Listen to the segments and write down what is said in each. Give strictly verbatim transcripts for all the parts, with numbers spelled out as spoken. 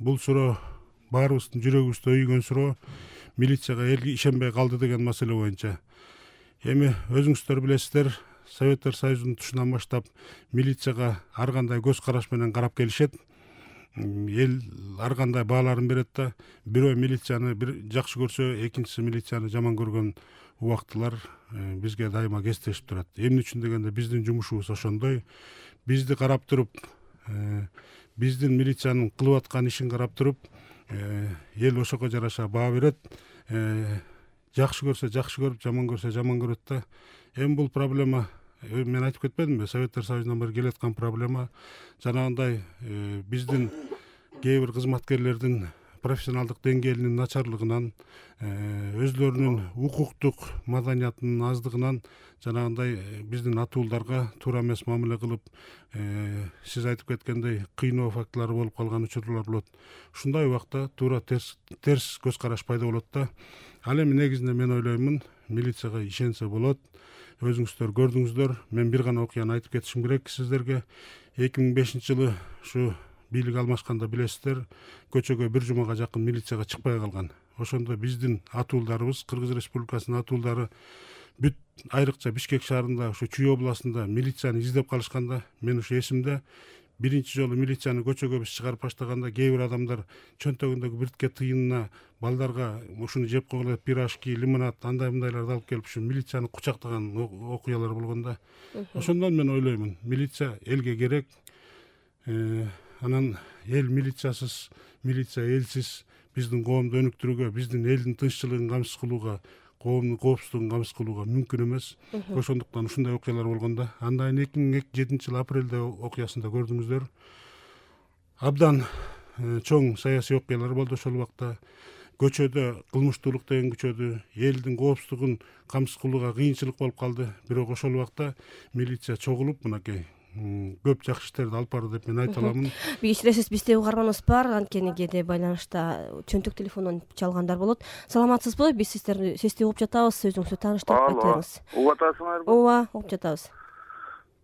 бул суроо баарыбыздын жүрөгүбүздө үйгөн суроо, милицияга эл ишенбей калды деген маселе боюнча. Эми өзүңүздөр билесиздер, Советтер Союзунун тушунан баштап милицияга ар кандай көз караш менен карап келишет. Эл ар кандай бааларын берет да, бирөө милицияны бир жакшы көрсө, экинчиси милицияны жаман көргөн убактылар бизге дайыма кестешип турат. Эмне үчүн дегенде биздин жумушубуз ошондой. Бизди карап туруп, биздин милициянын кылып аткан ишин карап туруп, эл ошого жараша баа берет. Жакшы көрсө жакшы көрүп, жаман көрсө жаман көрөт да. Эми бул проблема, мен айтып кетпедимби, Советтер Союзунан бери келаткан проблема. Жанагындай биздин кээ бир кызматкерлердин профессионалдык деңгээлинин начарлыгынан, өзлөрүнүн укуктук маданиятынын аздыгынан жанагындай биздин атуулдарга туура эмес мамиле кылып, сиз айтып кеткендей кыйноо фактылары болуп калган учурлар болот. Ушундай убакта туура терс терс көз караш пайда болот да. Ал эми негизинде мен ойлоймун, милицияга ишенсе болот. Өзүңүздөр көрдүңүздөр, мен бир гана окуяны айтып кетишим керек сиздерге. эки миң бешинчи жылы ушу бийлик алмашканда билесиздер, көчөгө бир жумага жакын милицияга чыкпай калган. Ошондо биздин атуулдарыбыз, Кыргыз Республикасынын атуулдары бүт айрыкча Бишкек шаарында, ушу Чүй областында милицияны издеп калышканда, мен ушу эсимде. Биринчи жолу милицияны көчөгө биз чыгарып баштаганда, кээ бир адамдар чөнтөгүндөгү биртке тыйынына балдарга ушуну жеп койгула деп пирожки, лимонад, андай мындайларды алып келип ушу милицияны кучактаган окуялар болгон да. Ошондон мен ойлоймун, милиция элге керек. Анан эл милициясыз, милиция элсиз биздин коомду өнүктүрүүгө, биздин элдин тынччылыгын камсыз кылууга, коомдун коопсуздугун камсыз кылууга мүмкүн эмес. Ошондуктан ушундай окуялар болгондо, андан эки миң жетинчи жылы апрелде окуясында көрдүңүздөр. Абдан чоң саясий окуялар болду ошол убакта. Көчөдө кылмыштуулук деген күчөдү, элдин коопсуздугун камсыз кылууга кыйынчылык болуп калды. Бирок ошол убакта милиция чогулуп, мынакей көп жакшы иштерди алып барды деп мен айта аламын. Кечиресиз, бизде угарманыбыз бар, анткени кээде байланышта чөнтөк телефондон чалгандар болот. Саламатсызбы? Биз сиздерди сизди угуп жатабыз, өзүңүздү тааныштырып кетиңиз. Угуп атасыңарбы? Ооба, угуп жатабыз.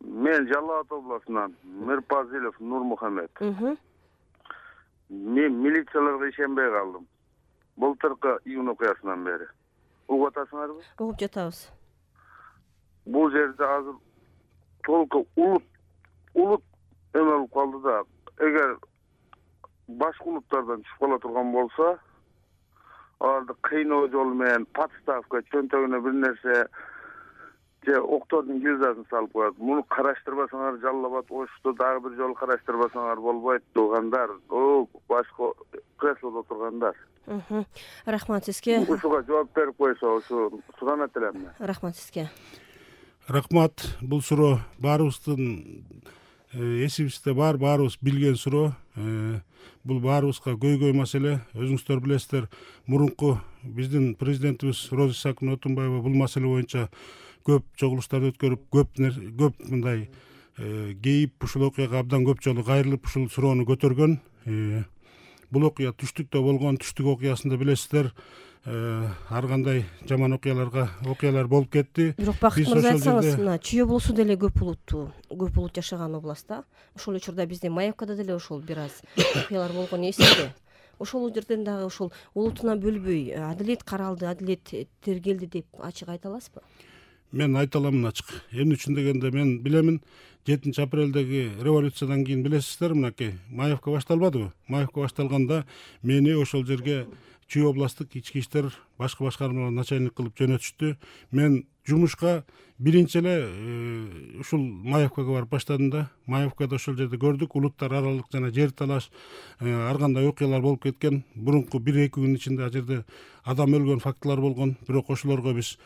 Мен Жалал Абад областынан Мирпазилов Нурмухамед. Мен милицияларга ишенбей калдым. Былтыркы июнь окуясынан бери. Угуп атасыңарбы? Угуп жатабыз. Бул жерде азыр толку улут улут эме болуп калды да, эгер башка улуттардан түшүп кала турган болсо, аларды кыйноо жолу менен подставка, чөнтөгүнө бир нерсе же октордун гильзасын салып коет. Муну караштырбасаңар, Жалал Абад Ошто дагы бир жолу караштырбасаңар болбойт туугандар. О, башка креслодо отургандар. Рахмат сизге. Ушуга жооп берип койсо, ушу суранат элем. Рахмат сизге. Рахмат. Бул суроо баарыбыздын эсибизде бар, баарыбыз билген суроо. Бул баарыбызга көйгөй маселе. Өзүңүздөр билесиздер, мурунку биздин президентибиз Роза Исаковна Отунбаева бул маселе боюнча көп чогулуштарды өткөрүп, көп көп мындай кейип ушул окуяга абдан көп жолу кайрылып ушул суроону көтөргөн. Бул окуя түштүктө болгон, түштүк окуясында билесиздер, ар кандай жаман окуяларга окуялар болуп кетти. Бирок Бакыт мырза, айтсаңыз, мына Чүй облусу деле көп улуттуу, көп улут жашаган област да. Ошол учурда бизде Маевкада деле ошол бир аз окуялар болгон эсимде. Ошол жерден дагы ошол улутуна бөлбөй адилет каралды, адилет тергелди деп ачык айта аласызбы? Мен айта аламын ачык. Эмне үчүн дегенде мен билемин, жетинчи апрелдеги революциядан кийин билесиздер, мынакей Маевка башталбадыбы? Маевка башталганда мени ошол жерге Чүй областтык ички иштер башкы башкармалар начальник кылып жөнөтүштү. Мен жумушка биринчи эле ушул Маевкага барып баштадым да. Маевкада ошол жерде көрдүк, улуттар аралык жана жер талаш, ар кандай окуялар болуп кеткен. Мурунку бир эки күн ичинде ал жерде адам өлгөн фактылар болгон. Бирок ошолорго биз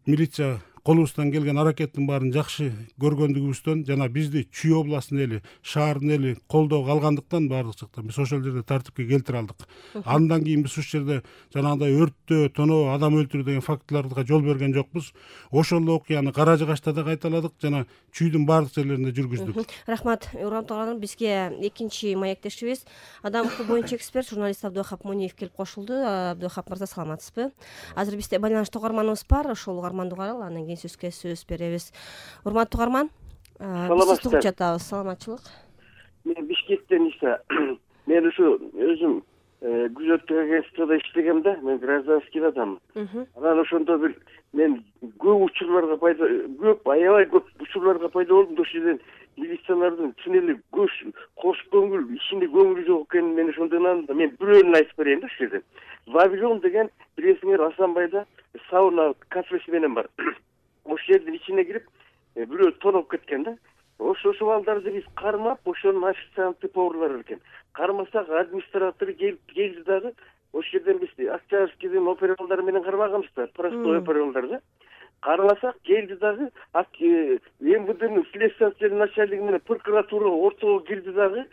милиция колубуздан келген аракеттин баарын жакшы көргөндүгүбүздөн жана бизди Чүй областынын эли, шаардын эли колдоого алгандыктан баардык жактан биз ошол жерде тартипке келтире алдык. Андан кийин биз ушул жерде жанагындай өрттөө, тоноо, адам өлтүрүү деген фактыларга жол берген жокпуз. Ошол окуяны Кара Жыгачта да кайталадык жана Чүйдүн баардык жерлеринде жүргүздүк. Рахмат. Урамтыган бизге экинчи маектешибиз, адам укугу боюнча эксперт, журналист Абдыхап Муниев келип кошулду. Абдыхап мырза, саламатсызбы? Азыр бизде байланышта угарманыбыз бар, ошол угарманды угаралы, анан кийин сөзгө сөз беребиз. Урматтуу угарман, биз угуп жатабыз. Саламатчылык. Мен Бишкектен исе мен ушу өзүм күзөттүк агентствода иштегем да, мен гражданский адаммын. Анан ошондо бир мен көп учурларга пайда көп аябай көп учурларга пайда болдум. Ошол жерден милициялардын чын эле көз кош көңүл ишине көңүлү жок экенин мен ошондон андым. Мен бирөөнүн айтып берейин да ушул жерден. Вавилон деген билесиңер Асанбайда сауна кафеси менен бар. Ошол жердин ичине кирип бирөө тоноп кеткен да. Ошо ошол балдарды биз кармап, ошонун официанты поварлары экен. Кармасак администратору келип келди дагы. Ошол жерден биз Октябрьскийдин опера балдары менен кармаганбыз да, простой опера балдар да. Кармасак келди дагы МВДнын следствиялык начальниги менен прокуратура ортого кирди дагы,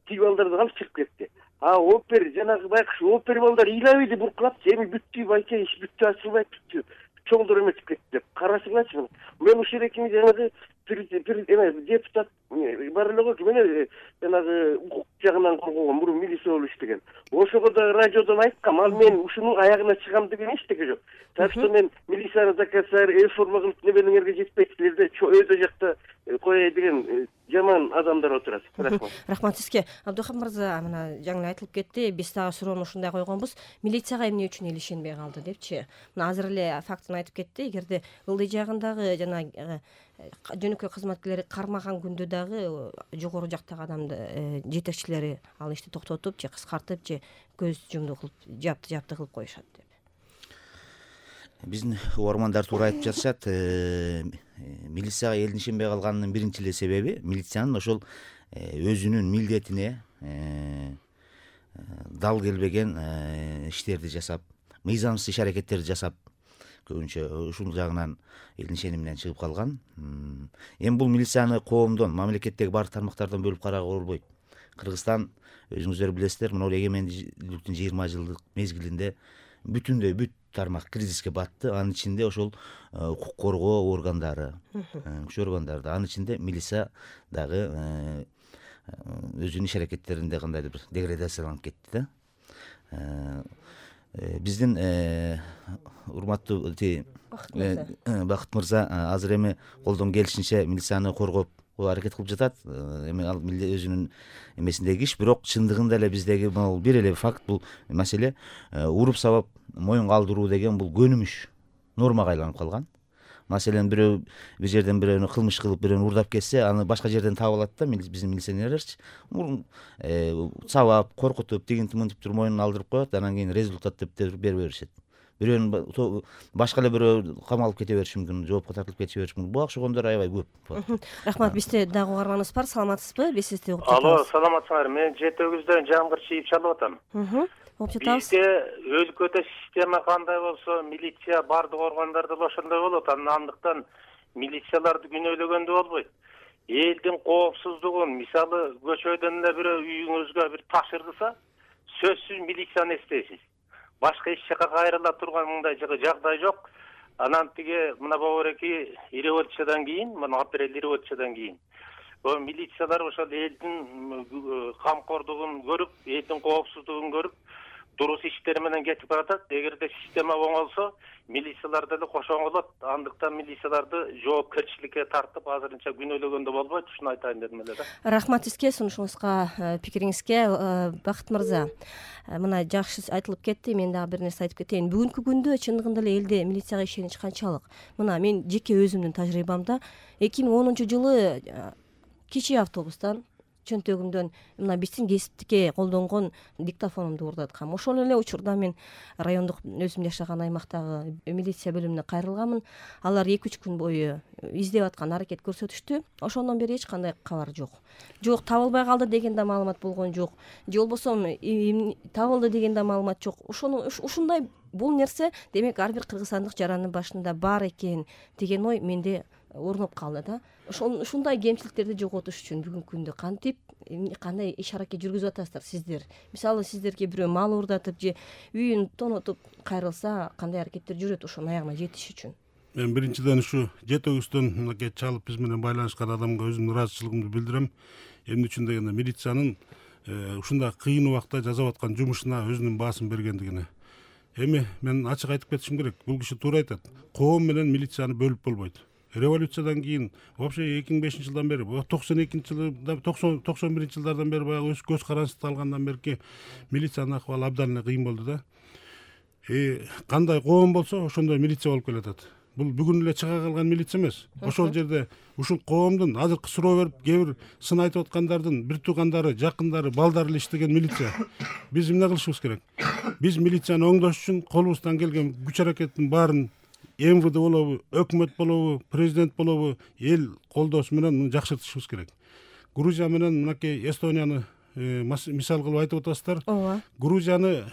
тиги балдарды алып чыгып кетти. А опер жанагы байкуш опер балдар ыйлабайды буркулап, эми бүттү байке, иш бүттү, ачылбайт, бүттү. Чоңдор эметип кетти деп. Карасыңарчы. Мен ушул экинчи жанагы депутат бар эле го, мен жанагы укук жагынан коргогон мурун милиция болуп иштеген. Ошого да радиодон айткам, ал мен ушунун аягына чыгам деген эчтеке жок. Так что мен милицияны заказар, реформа кылып небелеңерге жетпейт, силерде өйдө жакта кояй деген жаман адамдар отурат. Рахмат. Рахмат сизге. Абдухам мырза, мына жаңы айтылып кетти, биз дагы суроону ушундай койгонбуз. Милицияга эмне үчүн эл ишенбей калды депчи. Мына азыр эле фактын айтып кетти. Эгерде ылдый жагындагы жана жөнөкөй кызматкерлери кармаган күндө дагы жогору жактагы адамды жетекчилери ал ишти токтотуп же кыскартып же көз жумду кылып, жапты жапты кылып коюшат деп. Биздин угармандар туура айтып жатышат. Милицияга элдин ишенбей калганынын биринчи эле себеби милициянын ошол өзүнүн милдетине дал келбеген иштерди жасап, мыйзамсыз иш аракеттерди жасап, көбүнчө ушул жагынан элдин ишениминен чыгып калган. Эми бул милицияны коомдон, мамлекеттеги баардык тармактардан бөлүп кароого болбойт. Кыргызстан, өзүңүздөр билесиздер, мына эгемендүүлүктүн жыйырма жылдык мезгилинде бүтүндөй бүт тармак кризиске батты. Анын ичинде ошол укук коргоо органдары, күч органдары, анын ичинде милиция дагы өзүнүн иш аракеттеринде кандайдыр бир деградацияланып кетти да. Биздин урматтуу Бакыт мырза азыр эми колдон келишинче милицияны коргоп аракет кылып жатат. Эми ал өзүнүн эмесиндеги иш, бирок чындыгында эле биздеги бул бир эле факт, бул маселе уруп сабап моюнга алдыруу деген бул көнүмүш, нормага айланып калган. Маселен бирөө бир жерден бирөөнү кылмыш кылып бирөөнү урдап кетсе, аны башка жерден таап алат да биздин милиционерлерчи. Сабап, коркутуп, тигинтип мынтип туруп моюнун алдырып коет, анан кийин результат деп бере беришет. Бирөөнү башка эле бирөө камалып кете бериши мүмкүн, жоопко тартылып кете бериши мүмкүн. Буга окшогондор аябай көп. Рахмат. Бизде дагы угарманыбыз бар. Саламатсызбы? Биз сизди угуп жатабыз. Алло, саламатсыңар. Мен жети өгүздөн Жамгыр чийип чалып атам. Угуп жатабыз. Бизде өлкөдө система кандай болсо, милиция бардык органдарда да ошондой болот. Андыктан милицияларды күнөөлөгөндө болбойт. Элдин коопсуздугун, мисалы, көчөдөн эле бирөө үйүңүзгө бир таш ыргыса, сөзсүз милицияны эстейсиз. Башка эч жака кайрыла турган мындай жагдай жок. Анан тиги мына бобореки революциядан кийин, мына апрель революциядан кийин милициялар ошол элдин камкордугун көрүп, элдин коопсуздугун көрүп, дурус иштери менен кетип баратат. Эгерде система оңолсо, милициялар деле кошо оңолот. Андыктан милицияларды жоопкерчиликке тартып, азырынча күнөөлөгөндө болбойт. Ушуну айтайын дедим эле да. Рахмат сизге, сунушуңузга, пикириңизге. Бакыт мырза, мына жакшы айтылып кетти. Мен дагы бир нерсе айтып кетейин. Бүгүнкү күндө чындыгында эле элде милицияга ишенич канчалык? Мына мен жеке өзүмдүн тажрыйбамда эки миң онунчу жылы кичи автобустан чөнтөгүмдөн мына биздин кесиптикке колдонгон диктофонумду уурдаткам. Ошол эле учурда мен райондук өзүм жашаган аймактагы милиция бөлүмүнө кайрылганмын. Алар эки үч күн бою издеп аткан, аракет көрсөтүштү. Ошондон бери эч кандай кабар жок. Жок, табылбай калды деген да маалымат болгон жок. Же болбосо табылды деген да маалымат жок. Ошону ушундай бул нерсе демек ар бир кыргызстандык жарандын башында бар экен деген ой менде орноп калды да. Ушундай кемчиликтерди жоготуш үчүн бүгүнкү күндө кантип, кандай иш аракет жүргүзүп атасыздар сиздер? Мисалы, сиздерге бирөө мал уурдатып же үйүн тонотуп кайрылса, кандай аракеттер жүрөт ошонун аягына жетиш үчүн? Мен биринчиден ушу жети өгүздөн мынакей чалып биз менен байланышкан адамга өзүмдүн ыраазычылыгымды билдирем. Эмне үчүн дегенде милициянын ушундай кыйын убакта жасап аткан жумушуна өзүнүн баасын бергендигине. Эми мен ачык айтып кетишим керек. Бул киши туура айтат. Коом менен милицияны бөлүп болбойт. революциядан кийин вообще эки миң бешинчи жылдан бери токсон экинчи жылда токсон токсон биринчи жылдардан бери баягы өз көз карандысты алгандан берки милициянын акыбалы абдан эле кыйын болду да. Кандай коом болсо ошондой милиция болуп келатат. Бул бүгүн эле чыга калган милиция эмес. Ошол жерде ушул коомдун азыркы суроо берип кээ бир сын айтып аткандардын бир туугандары, жакындары, балдары эле иштеген милиция. Биз эмне кылышыбыз керек? Биз милицияны оңдош үчүн колубуздан келген күч аракеттин баарын эм вэ дэ болобу, өкмөт болобу, президент болобу эл колдоосу менен муну жакшыртышыбыз керек. Грузия менен мынакей Эстонияны мисал кылып айтып атасыздар. Ооба. Грузияны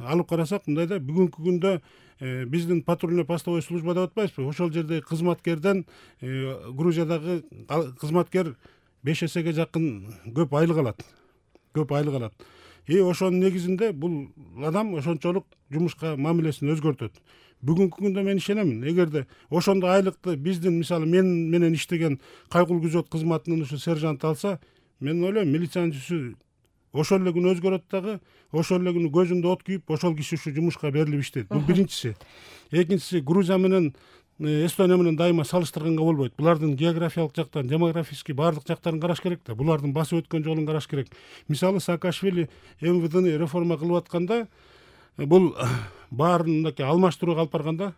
алып карасак, мындай да бүгүнкү күндө биздин патрульный постовой служба деп атпайбызбы? Ошол жерде кызматкерден Грузиядагы кызматкер беш эсеге жакын көп айлык алат. Көп айлык алат. И ошонун негизинде бул адам ошончолук жумушка мамилесин өзгөртөт. Бүгүнкү күндө мен ишенемин, эгерде ошондой айлыкты биздин мисалы мен менен иштеген кайгыл күзөт кызматынын ушу сержант алса, мен ойлойм милициянын жүзү ошол эле күнү өзгөрөт дагы, ошол эле күнү көзүндө от күйүп, ошол киши ушу жумушка берилип иштейт. Бул биринчиси. Экинчиси, Грузия менен Эстония менен дайыма салыштырганга болбойт. Булардын географиялык жактан, демографический баардык жактарын караш керек да. Булардын басып өткөн жолун караш керек. Мисалы Саакашвили эм вэ дэни реформа кылып атканда, бул баарын мынакей алмаштырууга алып барганда,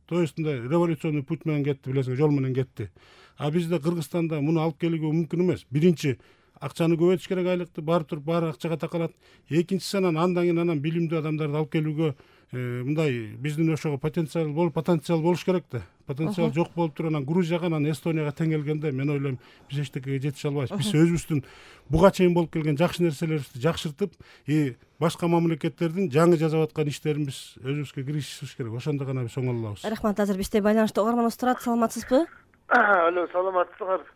то есть мындай революционный путь менен кетти, билесиң, жол менен кетти. А бизде Кыргызстанда муну алып келүүгө мүмкүн эмес. Биринчи, акчаны көбөйтүш керек, айлыкты барып туруп баары акчага такалат. Экинчиси, анан андан кийин анан билимдүү адамдарды алып келүүгө мындай биздин ошого потенциал болуп, потенциал болуш керек да. Потенциал жок болуп туруп анан Грузияга, анан Эстонияга тең келгенде мен ойлойм биз эчтекеге жетише албайбыз. Биз өзүбүздүн буга чейин болуп келген жакшы нерселерибизди жакшыртып, и башка мамлекеттердин жаңы жасап аткан иштерин биз өзүбүзгө киргизишибиз керек. Ошондо гана биз оңоло алабыз. Рахмат. Азыр бизде байланышта угарманыбыз турат. Саламатсызбы? Алло, саламатсыздар.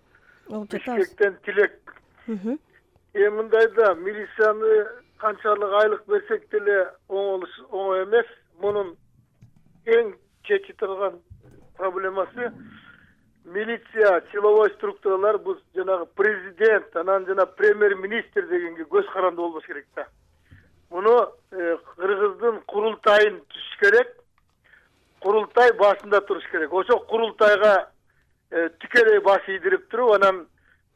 Бишкектен Тилек. Эми мындайда милицияны канчалык айлык берсек деле оңой эмес. Мунун эң чечи турган проблемасы милиция, силовой структуралар бул жанагы президент, анан жана премьер-министр дегенге көз каранды болбош керек да. Муну Кыргыздын курултайын түзүш керек. Курултай башында туруш керек. Ошо курултайга тикелей баш ийдирип туруп, анан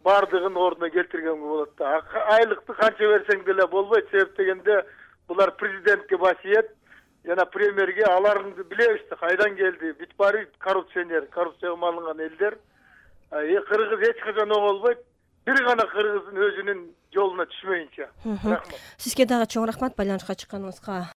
бардыгын ордуна келтиргенге болот да. Айлыкты канча берсең деле болбойт, себеп дегенде булар президентке баш ийет, жана премьерге, аларыңды билебиз да, кайдан келди, бүт баары коррупционер, коррупцияга малынган элдер. Кыргыз эч качан оңолбойт, бир гана кыргыздын өзүнүн жолуна түшмөйүнчө. Рахмат. Сизге дагы чоң рахмат байланышка чыкканыңызга.